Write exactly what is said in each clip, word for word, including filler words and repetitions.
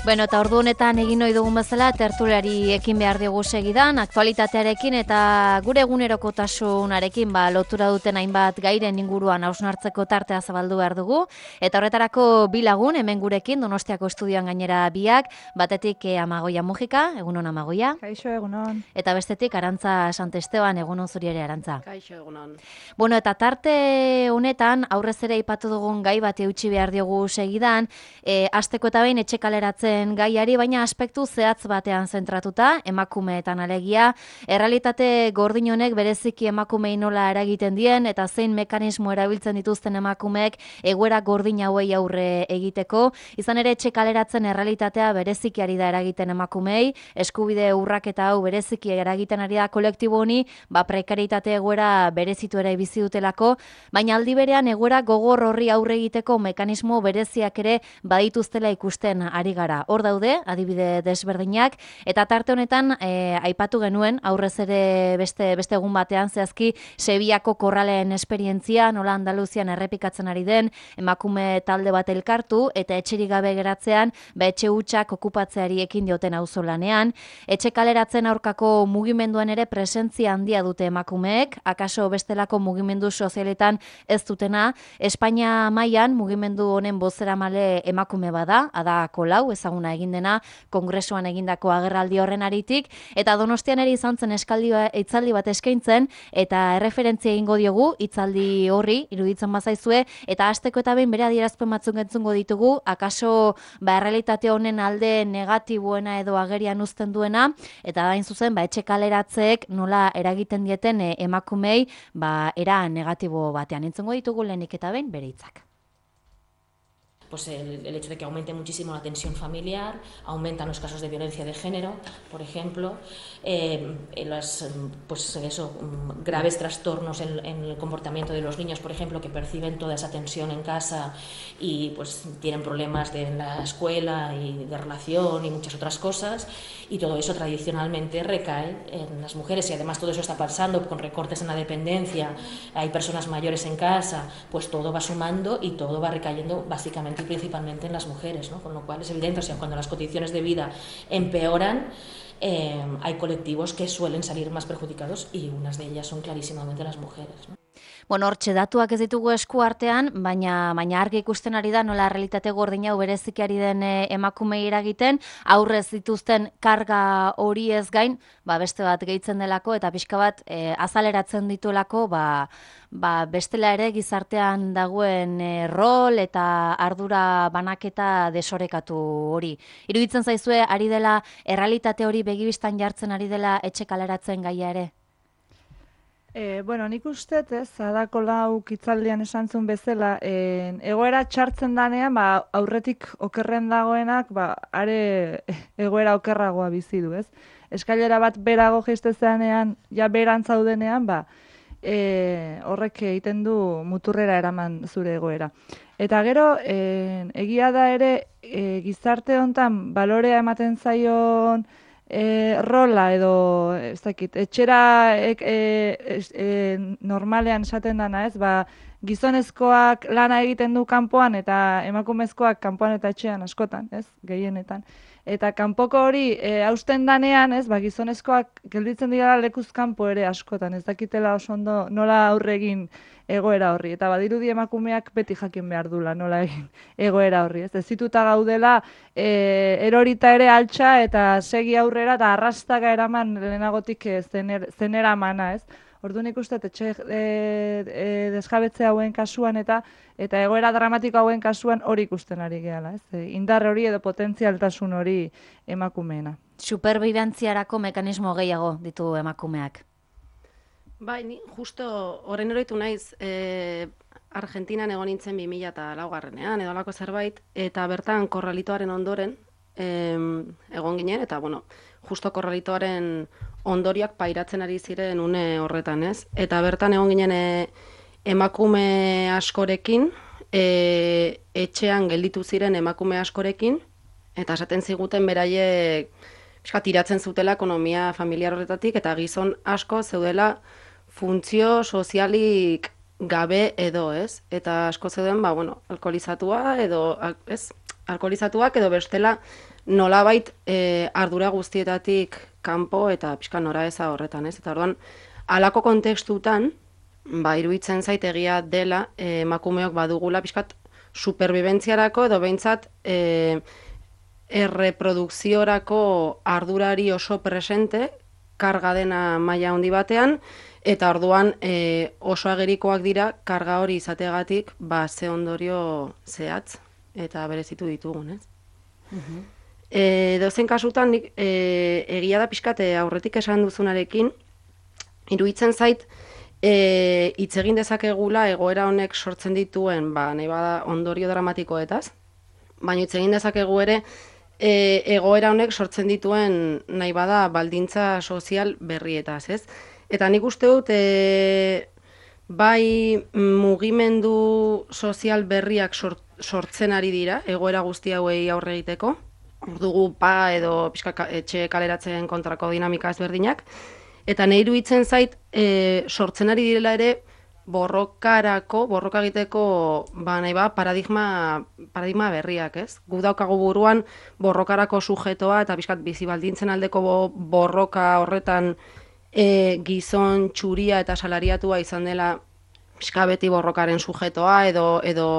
Bueno, eta ordu honetan egin ohi dugun bezala tertuliari ekin behar diogu segidan, aktualitatearekin eta gure egunerokotasunarekin ba, lotura duten hainbat gairen inguruan hausnartzeko tartea zabaldu behar dugu. Eta horretarako bi lagun hemen gurekin Donostiako estudioan gainera biak, batetik eh, Amagoia Mujika, egunon Amagoia. Kaixo, egunon. Eta bestetik Arantza Santesteban, egunon zuri ere Arantza. Kaixo, egunon. Bueno, eta tarte honetan aurrez ere aipatu dugun gai bat eutsi behar diogu segidan, eh, asteko eta behin etxe kaleratzen gaiari, baina aspektu zehatz batean zentratuta, emakumeetan alegia, errealitate gordin honek bereziki emakumei nola eragiten dien, eta zein mekanismo erabiltzen dituzten emakumeek egoera gordin hauei aurre egiteko, izan ere etxe kaleratzen errealitatea bereziki ari da eragiten emakumei, eskubide urraketa hau bereziki eragiten ari da kolektibo honi, ba prekaritate egoera berezitu ere bizi dutelako, baina aldi berean egoera gogor horri aurre egiteko mekanismo bereziak ere badituztela ikusten ari gara. Hor daude, adibide desberdinak, eta tarte honetan e, aipatu genuen, aurrez ere beste, beste egun batean, zehazki Seviako korralen esperientzia, nola Andaluzian errepikatzen ari den, emakume talde bat elkartu, eta etxerik gabe geratzean, ba etxe hutsak okupatzeari ekin dioten auzolanean, etxe kaleratzen aurkako mugimenduan ere presentzia handia dute emakumeek, akaso bestelako mugimendu sozialetan ez dutena, Espainia mailan mugimendu honen bozeramale emakume bada, Ada Colau, ezaguna egin dena, kongresuan egindako agerraldi horren aritik, eta Donostian ere izan zen eskaldi hitzaldi bat eskaintzen, eta erreferentzia egingo diogu hitzaldi horri, iruditzen bazaizue, eta hasteko eta behin bere adierazpen batzuk entzungo ditugu, akaso ba errealitate honen alde negatiboena edo agerian uzten duena, eta hain zuzen ba etxe kaleratzeek nola eragiten dieten e, emakumei, ba era negatibo batean entzungo ditugu lehenik eta behin bere hitzak. Pues el, el hecho de que aumente muchísimo la tensión familiar, aumentan los casos de violencia de género, por ejemplo, eh, los pues eso, graves trastornos en, en el comportamiento de los niños, por ejemplo, que perciben toda esa tensión en casa y pues tienen problemas de, en la escuela y de relación y muchas otras cosas, y todo eso tradicionalmente recae en las mujeres, y además todo eso está pasando con recortes en la dependencia, hay personas mayores en casa, pues todo va sumando y todo va recayendo básicamente principalmente en las mujeres, ¿no? Con lo cual es evidente, o sea, cuando las condiciones de vida empeoran, eh, hay colectivos que suelen salir más perjudicados y unas de ellas son clarísimamente las mujeres, ¿no? Bueno, hortxe datuak ez ditugu esku artean, baina baina argi ikusten ari da nola realitate gordin hau bereziki ari den e, emakumei eragiten, aurrez dituzten karga hori ez gain, ba beste bat gehitzen delako eta pixka bat e, azaleratzen dituelako, ba ba bestela ere gizartean dagoen e, rol eta ardura banaketa desorekatu hori. Iruditzen zaizue ari dela errealitate hori begibistan jartzen ari dela etxe kaleratzen gaia ere? E, bueno, nik uste, ez, Ada Colau hitzaldian esan zuen bezala, e, egoera txartzen danean, ba, aurretik okerren dagoenak, ba, are egoera okerragoa bizi du, ez? Eskailera bat berago jestezeanean, ja beran zaudenean, ba, e, horrek egiten du muturrera eraman zure egoera. Eta gero, e, egia da ere, e, gizarte hontan balorea ematen zaion E, rola edo ez dakit, etxera e, e, e, normalean esaten dana, ez, ba, gizonezkoak lana egiten du kanpoan eta emakumezkoak kanpoan eta etxean askotan, ez, gehienetan. Eta kanpoko hori e, hausten danean, ez, ba, gizonezkoak gelditzen dira lekuz kanpo ere askotan, ez dakitela oso ondo nola aurre egin egoera horri. Eta badirudi emakumeak beti jakin behar dula nola egin egoera horri. Ez, ez zituta gaudela e, erorita ere altxa eta segi aurrera eta arrastaka eraman lehenagotik e, zener, zenera mana, ez. Orduan ikuste, etxe e, e, desjabetze hauen kasuan eta eta egoera dramatiko hauen kasuan hori ikusten ari gehala, ez? E, indar hori edo potentzialtasun hori emakumeena. Superbibentziarako mekanismo gehiago ditu emakumeak. Bai, ni justo horren oroitu naiz, e, Argentinan egon nintzen bi mila laugarrenean edo alako zerbait, eta bertan korralitoaren ondoren e, egon ginen, eta bueno, justo korralitoaren ondoriak pairatzen ari ziren une horretan, ez? Eta bertan egon ginen e, emakume askorekin, e, etxean gelditu ziren emakume askorekin, eta esaten ziguten beraiek pixka tiratzen zutela ekonomia familiar horretatik, eta gizon asko zeudela funtzio sozialik gabe edo, ez? Eta asko zeuden, ba, bueno, alkoholizatua edo, ez? Alkoholizatuak edo bestela nolabait e, ardura guztietatik kanpo eta pixka nora eza horretan, ez? Eta orduan, halako kontekstutan, ba, iruditzen zait egia dela e, emakumeok badugula pixkat superbibentziarako edo behintzat e, erreprodukziorako ardurari oso presente, karga dena maila handi batean, eta orduan e, oso agerikoak dira karga hori izateagatik ba, ze ondorio zehatz eta berezitu ditugun, ez? Uh-huh. E, dozen kasutan, nik, e, egia da pixkate aurretik esan duzunarekin, iruditzen zait, e, hitz egin dezakegula egoera honek sortzen dituen, ba, nahi bada ondorio dramatikoetaz, baina hitz egin dezakegu ere, e, egoera honek sortzen dituen, nahi bada, baldintza sozial berrietaz, ez? Eta nik uste dut, e, bai mugimendu sozial berriak sort, sortzen ari dira, egoera guzti hauei aurre egiteko, dugu pa edo pixka etxe kaleratzen kontrako dinamika ezberdinak, eta nahi iruditzen zait e, sortzen ari direla ere borrokarako, borroka egiteko ba, nahi ba, paradigma, paradigma berriak, ez? Gu daukagu buruan borrokarako sujetoa eta pixkat bizi baldintzen aldeko borroka horretan e, gizon txuria eta salariatua izan dela pixka beti borrokaren sujetoa edo edo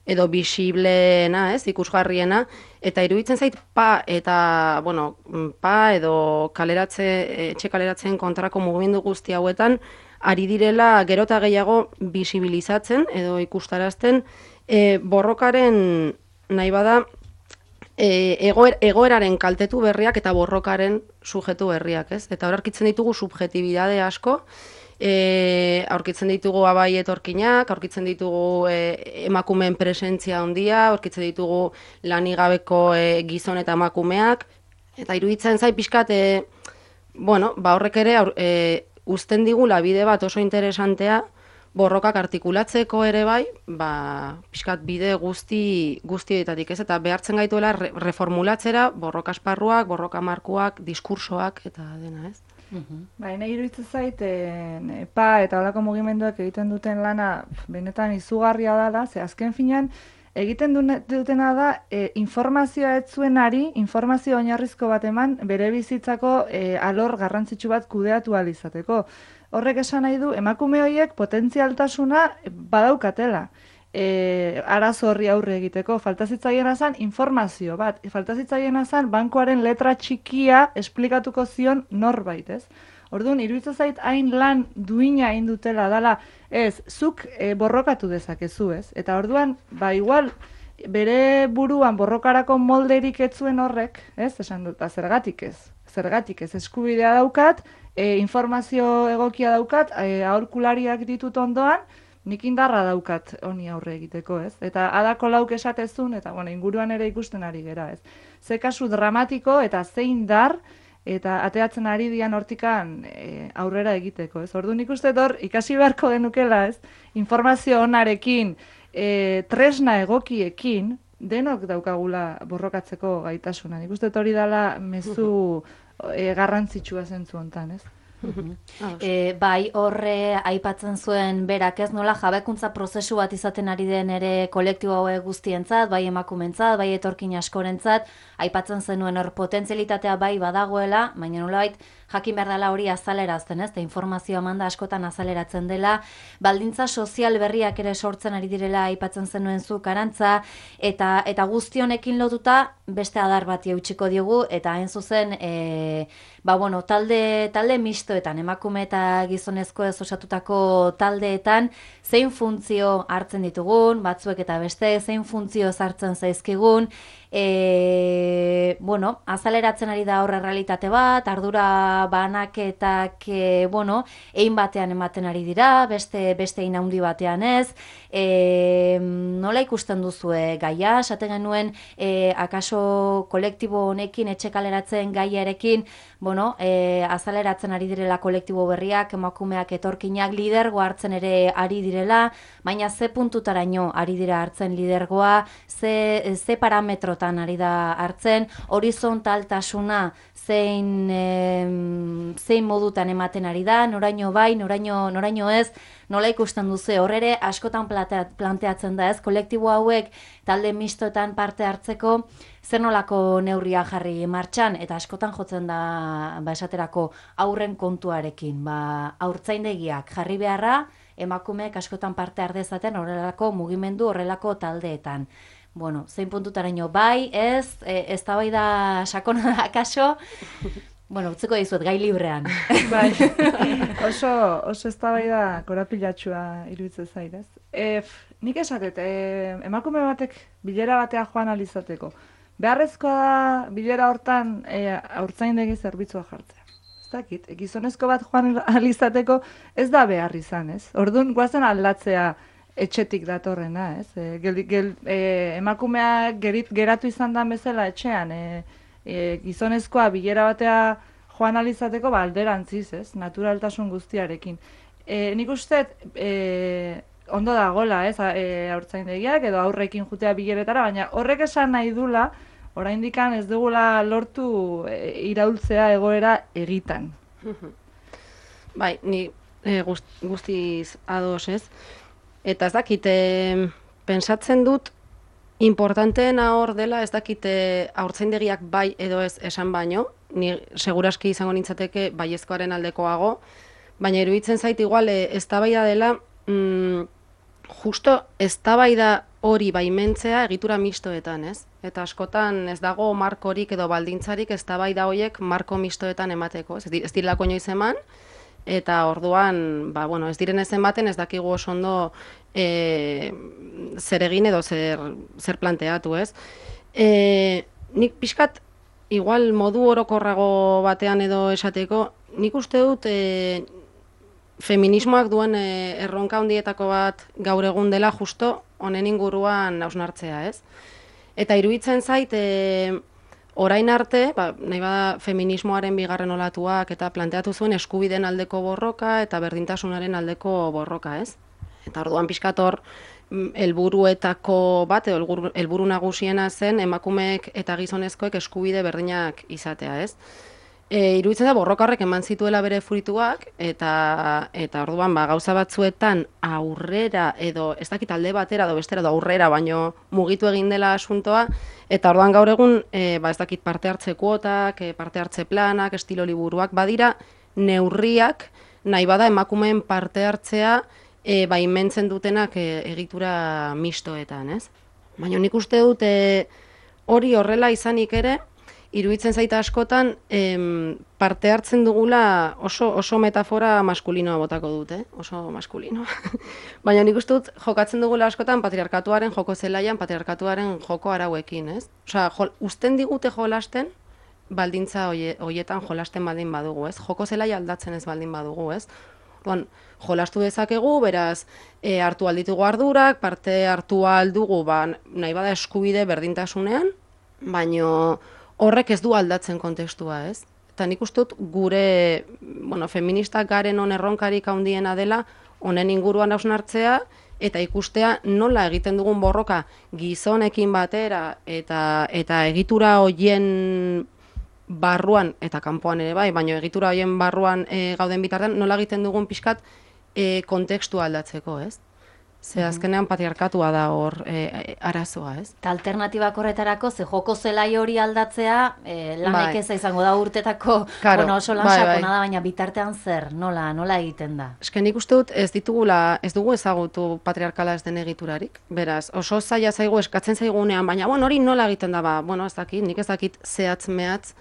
edo bisibleena, ez, ikusgarriena, eta iruditzen zait pa eta, bueno, pa edo kaleratze, etxe kaleratzen kontrako mugimendu guzti hauetan, ari direla gero eta gehiago bisibilizatzen edo ikustarazten e, borrokaren nahi bada e, egoer, egoeraren kaltetu berriak eta borrokaren sujetu berriak, ez? Eta hor aurkitzen ditugu subjetibidade asko, E, aurkitzen ditugu abai etorkinak, aurkitzen ditugu e, emakumeen presentzia handia, aurkitzen ditugu lanigabeko e, gizon eta emakumeak, eta iruditzen zai pixkat, e, bueno, ba horrek ere aur, e, uzten digula bide bat oso interesantea, borrokak artikulatzeko ere bai, ba, pixkat bide guzti guztietatik, ez? Eta behartzen gaituela re, reformulatzera borroka esparruak, borroka markuak, diskursoak eta dena, ez? Uhum. Bai, nahi iruditzen zait, e, pa eta holako mugimenduak egiten duten lana benetan izugarria dela, ze azken finean egiten dutena da e, informazioa ez zuenari, informazio oinarrizko bat eman bere bizitzako e, alor garrantzitsu bat kudeatu ahal izateko. Horrek esan nahi du, emakume horiek potentzialtasuna badaukatela. E, arazo horri aurre egiteko, falta zitzaiena zen informazio bat, falta zitzaiena zen bankoaren letra txikia esplikatuko zion norbait, ez? Orduan, iruditzen zait hain lan duina hain dutela dala, ez, zuk e, borrokatu dezakezu, ez? Eta orduan, ba igual, bere buruan borrokarako molderik ez zuen horrek, ez? Esan dut, zergatik ez, zergatik ez, eskubidea daukat, e, informazio egokia daukat, e, aholkulariak ditut ondoan, nik indarra daukat honi aurre egiteko, ez? Eta adako lauk esatezun, eta bueno, inguruan ere ikusten ari gera, ez? Ze kasu dramatiko eta zein dar, eta ateatzen ari dian hortikan e, aurrera egiteko, ez? Ordu nik uste hor ikasi beharko genukela, ez? Informazio onarekin, e, tresna egokiekin, denok daukagula borrokatzeko gaitasuna. Nik uste hori dela mezu e, garrantzitsua zentzu hontan, ez? E, bai, horre aipatzen zuen berak, ez nola jabekuntza prozesu bat izaten ari den ere kolektibo hauek guztientzat, bai emakumentzat, bai etorkin askorentzat, aipatzen zenuen hor potentzialitatea bai badagoela, baina nolabait jakin behar dela hori azalerazten, ez? Eta informazioa manda askotan azaleratzen dela, baldintza sozial berriak ere sortzen ari direla aipatzen zenuen zu Arantza, eta eta guzti honekin lotuta beste adar bati eutxiko diogu, eta hain zuzen, e, ba bueno, talde, talde mistoetan, emakume eta gizonezko ez osatutako taldeetan, zein funtzio hartzen ditugun, batzuek eta beste, zein funtzio hartzen zaizkigun, E, bueno, azaleratzen ari da horre realitate bat, ardura banaketak, e, bueno, egin batean ematen ari dira, beste beste egin handi batean ez, e, nola ikusten duzue gaia, esaten genuen, e, akaso kolektibo honekin, etxe kaleratzen gaiarekin, bueno, e, azaleratzen ari direla kolektibo berriak, emakumeak etorkinak lidergo hartzen ere ari direla, baina ze puntutaraino ari dira hartzen lidergoa, ze, ze parametrotan ari da hartzen, horizontaltasuna zein, e, zein modutan ematen ari da, noraino bai, noraino, noraino ez, nola ikusten duzu, hor ere askotan planteatzen da ez, kolektibo hauek talde mistoetan parte hartzeko, zer nolako neurria jarri martxan, eta askotan jotzen da, ba, esaterako aurren kontuarekin, ba, haurtzaindegiak jarri beharra, emakumeek askotan parte hardezaten horrelako mugimendu, horrelako taldeetan. Bueno, zein puntutaraino bai, ez, e, ez da bai da sakona da kaso, bueno, utzeko dizuet, gai librean. Bai, oso, oso ez da bai da korapilatxua iruditzen zairez. E, nik esatet, e, emakume batek bilera batea joan alizateko. Beharrezkoa da bilera hortan e, haurtzaindegi zerbitzua jartzea. Ez dakit, gizonezko bat joan alizateko ez da behar izan, ez? Orduan, guazen aldatzea etxetik datorrena, ez? E, gel, gel, e, emakumea gerit, geratu izan da bezala etxean, e, e, gizonezkoa bilera batea joan alizateko ba, alderantziz, ez? Naturaltasun guztiarekin. E, nik uste, e, ondo dagola, ez? E, haurtzaindegiak edo aurrekin jutea bileretara, baina horrek esan nahi dula, oraindikan ez dugula lortu e, iraultzea egoera egitan. Bai, ni e, guzti, guztiz ados, ez? Eta ez dakite, pensatzen dut, importanteena hor dela, ez dakite haurtzaindegiak bai edo ez esan baino, ni seguraski izango nintzateke baiezkoaren aldekoago, baina iruditzen zait igual eztabaida dela, mm, justo eztabaida hori baimentzea egitura mistoetan, ez? Eta askotan ez dago markorik edo baldintzarik eztabaida horiek marko mistoetan emateko, ez, ez direlako inoiz eman, eta orduan, ba, bueno, ez diren ez ematen ez dakigu oso ondo e, zer egin edo zer, zer planteatu, ez? E, nik pixkat, igual modu orokorrago batean edo esateko, nik uste dut e, feminismoak duen e, erronka handietako bat gaur egun dela justo honen inguruan hausnartzea, ez? Eta iruditzen zait, e, orain arte, ba, nahi bada feminismoaren bigarren olatuak eta planteatu zuen eskubideen aldeko borroka eta berdintasunaren aldeko borroka, ez? Eta orduan pixkat hor helburuetako bat, edo helburu nagusiena zen emakumeek eta gizonezkoek eskubide berdinak izatea, ez? E, iruditzen da borroka horrek eman zituela bere fruituak eta eta orduan ba, gauza batzuetan aurrera edo ez dakit alde batera edo bestera edo aurrera baino mugitu egin dela asuntoa eta orduan gaur egun e, ba, ez dakit parte hartze kuotak, e, parte hartze planak, estilo liburuak badira neurriak nahi bada emakumeen parte hartzea e, baimentzen dutenak e, egitura mistoetan, ez? Baina nik uste dut e, hori horrela izanik ere iruditzen zaita askotan em, parte hartzen dugula oso, oso metafora maskulinoa botako dut, eh? Oso maskulinoa. Baina nik uste dut jokatzen dugula askotan patriarkatuaren joko zelaian, patriarkatuaren joko arauekin, ez? Osea, jol, usten digute jolasten, baldintza hoietan jolasten baldin badugu, ez? Joko zelaia aldatzen ez baldin badugu, ez? Bon, jolastu dezakegu, beraz, e, hartu alditugu ardurak, parte hartu aldugu, ba, nahi bada eskubide berdintasunean, baino horrek ez du aldatzen kontestua, ez? Eta nik uste dut gure, bueno, feministak garen on erronkarik handiena dela, honen inguruan hausnartzea, eta ikustea nola egiten dugun borroka gizonekin batera, eta, eta egitura hoien barruan, eta kanpoan ere bai, baina egitura hoien barruan e, gauden bitartean, nola egiten dugun pixkat e, kontekstua aldatzeko, ez? Ze azkenean patriarkatua da hor e, arazoa, ez? Eta alternatibak horretarako, ze joko zelai hori aldatzea, e, lanek bai. eza izango da urtetako, Claro, bueno, oso lan bai, sakona bai. da, baina bitartean zer, nola, nola egiten da? Eske nik uste dut ez ditugula, ez dugu ezagutu patriarkala ez den egiturarik. Beraz, oso zaila zaigu eskatzen zaigunean, baina bueno, hori nola egiten da, ba, bueno, ez dakit, nik ez dakit zehatz mehatz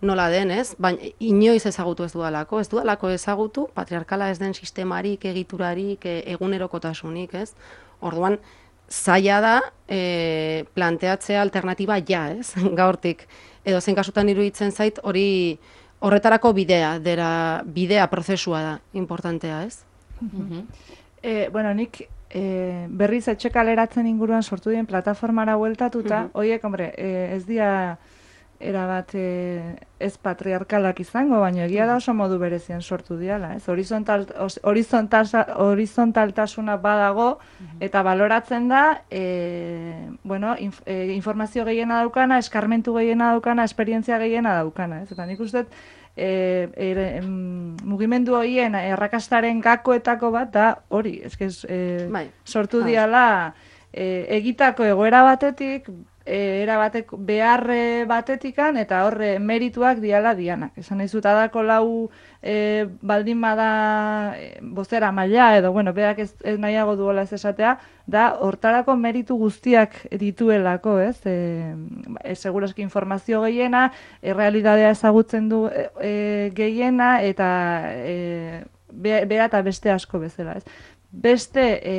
nola den, ez? Baina inoiz ezagutu ez dudalako, ez dudalako ezagutu patriarkala ez den sistemarik, egiturarik, e, egunerokotasunik, ez? Orduan, zaila da e, planteatzea alternatiba ja, ez? Gaurtik. Edo zen kasutan iruditzen zait hori horretarako bidea, dera bidea prozesua da, importantea, ez? E, bueno, nik e, berriz etxe kaleratzen inguruan sortu dien plataformara bueltatuta, Mhm. horiek, hombre, e, ez dira erabat e, ez patriarkalak izango, baina egia da oso modu berezian sortu diala, ez? Horizontal, os- horizontal, horizontaltasuna badago, eta baloratzen da, e, bueno, inf, e, informazio gehiena daukana, eskarmentu gehiena daukana, esperientzia gehiena daukana, ez? Eta nik uste dut, e, e, mugimendu horien errakastaren gakoetako bat da hori, eske e, bai. sortu Ah. diala e, egitako egoera batetik, e, era batek beharre batetikan eta horre merituak diala dianak. Esan nahi zut, adako lau e, baldin bada e, bozera maila edo, bueno, berak ez, ez nahiago duela ez esatea, da hortarako meritu guztiak dituelako, ez? E, e, segurazki informazio gehiena, errealitatea ezagutzen du e, e, gehiena eta e, be, bera eta beste asko bezala, ez? Beste e,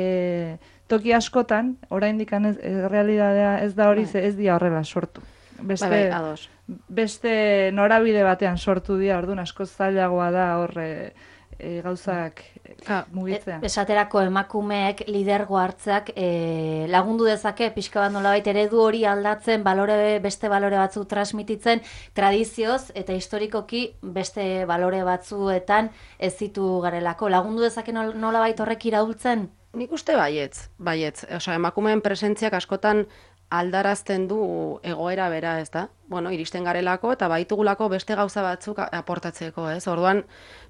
toki askotan, oraindik ez, errealitatea ez da hori, ze ez dira horrela sortu. Beste, Bai, bai, ados. beste norabide batean sortu dira, orduan asko zailagoa da horre e, gauzak Ka, mugitzea. E, esaterako emakumeek lidergo hartzeak e, lagundu dezake pixka bat nolabait eredu hori aldatzen, balore, beste balore batzu transmititzen, tradizioz eta historikoki beste balore batzuetan ez zitu garelako. Lagundu dezake nol, nolabait horrek iraultzen? Nik uste baietz, baietz. Osea, emakumeen presentziak askotan aldarazten du egoera bera, ez da? Bueno, iristen garelako eta baitugulako beste gauza batzuk aportatzeko, ez? Orduan,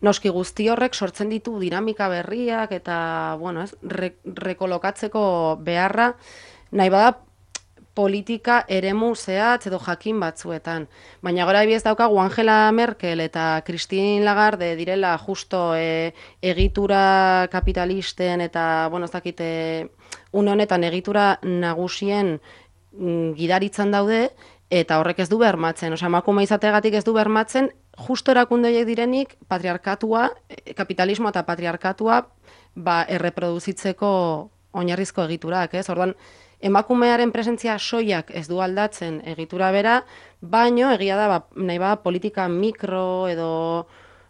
noski guzti horrek sortzen ditu dinamika berriak eta, bueno, ez, re, rekolokatzeko beharra, nahi bada politika eremu zehatz edo jakin batzuetan. Baina gora ebiez daukagu Angela Merkel eta Christine Lagarde direla justo e, egitura kapitalisten eta, bueno, ez dakit, e, une honetan egitura nagusien mm, gidaritzan daude, eta horrek ez du bermatzen. Osea, emakume izategatik ez du bermatzen, justo erakunde horiek direnik patriarkatua, kapitalismo eta patriarkatua ba, erreproduzitzeko oinarrizko egiturak, ez? Orduan, emakumearen presentzia soiak ez du aldatzen egitura bera, baino egia da ba, nahi ba, politika mikro edo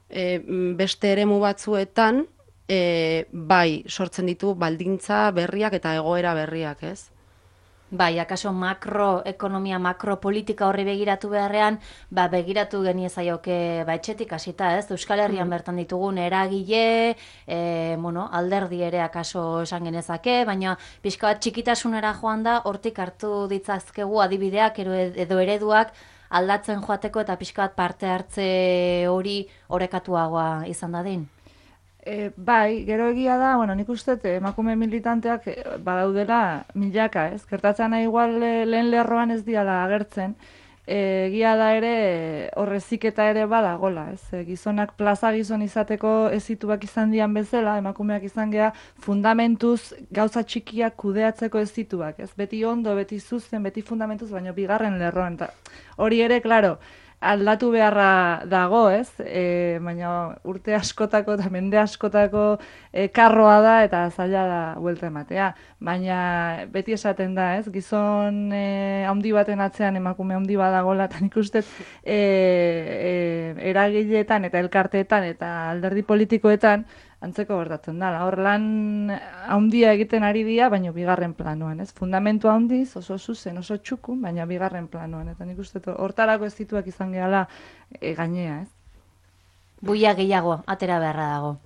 e, beste eremu batzuetan e, bai sortzen ditu baldintza berriak eta egoera berriak, ez? Bai, akaso makroekonomia, makropolitika horri begiratu beharrean, ba, begiratu geniezaioke ba, etxetik hasita, ez? Euskal Herrian bertan ditugun eragile, e, bueno, alderdi ere akaso esan genezake, baina pixka bat txikitasunera joan da, hortik hartu ditzazkegu adibideak edo, edo ereduak aldatzen joateko eta pixka bat parte hartze hori orekatuagoa izan dadin. E, bai, gero egia da, bueno, nik uste emakume militanteak badaudela milaka, ez? Gertatzen nahi igual lehen lerroan ez diala agertzen, e, egia da ere horreziketa ere badagola, ez? E, gizonak plaza gizon izateko ezituak izan dian bezala, emakumeak izan gea fundamentuz gauza txikiak kudeatzeko ezituak, ez? Beti ondo, beti zuzen, beti fundamentuz, baina bigarren lerroan. Ta, hori ere, klaro, aldatu beharra dago, ez? E, baina urte askotako eta mende askotako e, karroa da eta zaila da buelta ematea. Baina beti esaten da, ez? Gizon e, handi baten atzean emakume handi badagola, eta nik uste e, e, eragileetan eta elkarteetan eta alderdi politikoetan antzeko gertatzen da. Hor lan handia egiten ari dira, baina bigarren planoan, ez? Fundamentu handiz, oso zuzen, oso txukun, baina bigarren planoan. Eta nik uste hortarako ez dituak izan gehala e, gainea, ez? Buia gehiago, atera beharra dago.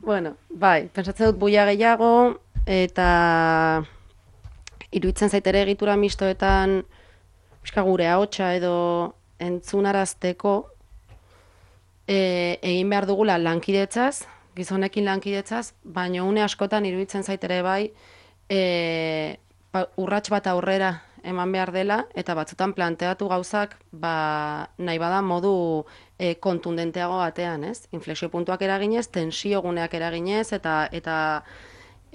Bueno, bai, pentsatzen dut buia gehiago, eta iruditzen zaitere egitura mistoetan pixka gure ahotsa edo entzunarazteko E, egin behar dugula lankidetzaz, gizonekin lankidetzaz, baina une askotan iruditzen zaitere bai e, pa, urrats bat aurrera eman behar dela, eta batzutan planteatu gauzak ba, nahi bada modu e, kontundenteago batean, ez? Inflexio puntuak eraginez, tensio guneak eraginez, eta eta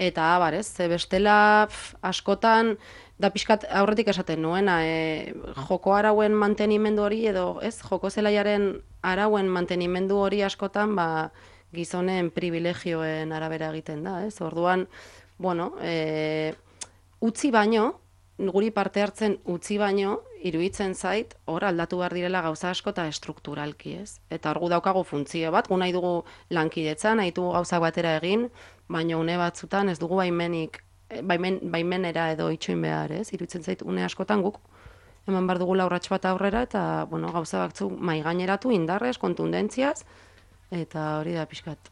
eta abar, ez? Ze bestela pf, askotan da pixkat aurretik esaten nuena, e, joko arauen mantenimendu hori edo, ez, joko zelaiaren arauen mantenimendu hori askotan, ba, gizonen privilegioen arabera egiten da, ez? Orduan, bueno, e, utzi baino, guri parte hartzen utzi baino, iruditzen zait, hor aldatu behar direla gauza asko eta estrukturalki, ez? Eta hor gu daukagu funtzio bat, gu nahi dugu lankidetza, nahi dugu gauzak batera egin, baina une batzutan ez dugu baimenik, baimen, baimenera edo itxoin behar, ez? Iruditzen zait, une askotan guk eman behar dugula urrats bat aurrera, eta, bueno, gauza batzuk mai gaineratu indarrez, kontundentziaz, eta hori da pixkat.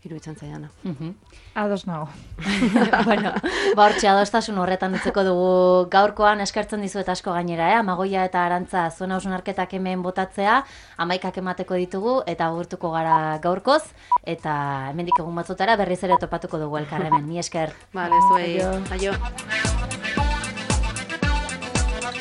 iruditzen zaidana. Ados nago. Bueno, ba hortxe adostasun horretan utzeko dugu gaurkoan, eskertzen dizuet asko gainera, eh? Amagoia eta Arantza zuen hausnarketak hemen botatzea, amaikak emateko ditugu eta agurtuko gara gaurkoz, eta hemendik egun batzutara berriz ere topatuko dugu elkarremen. Mi esker. Vale, zuei. Aio.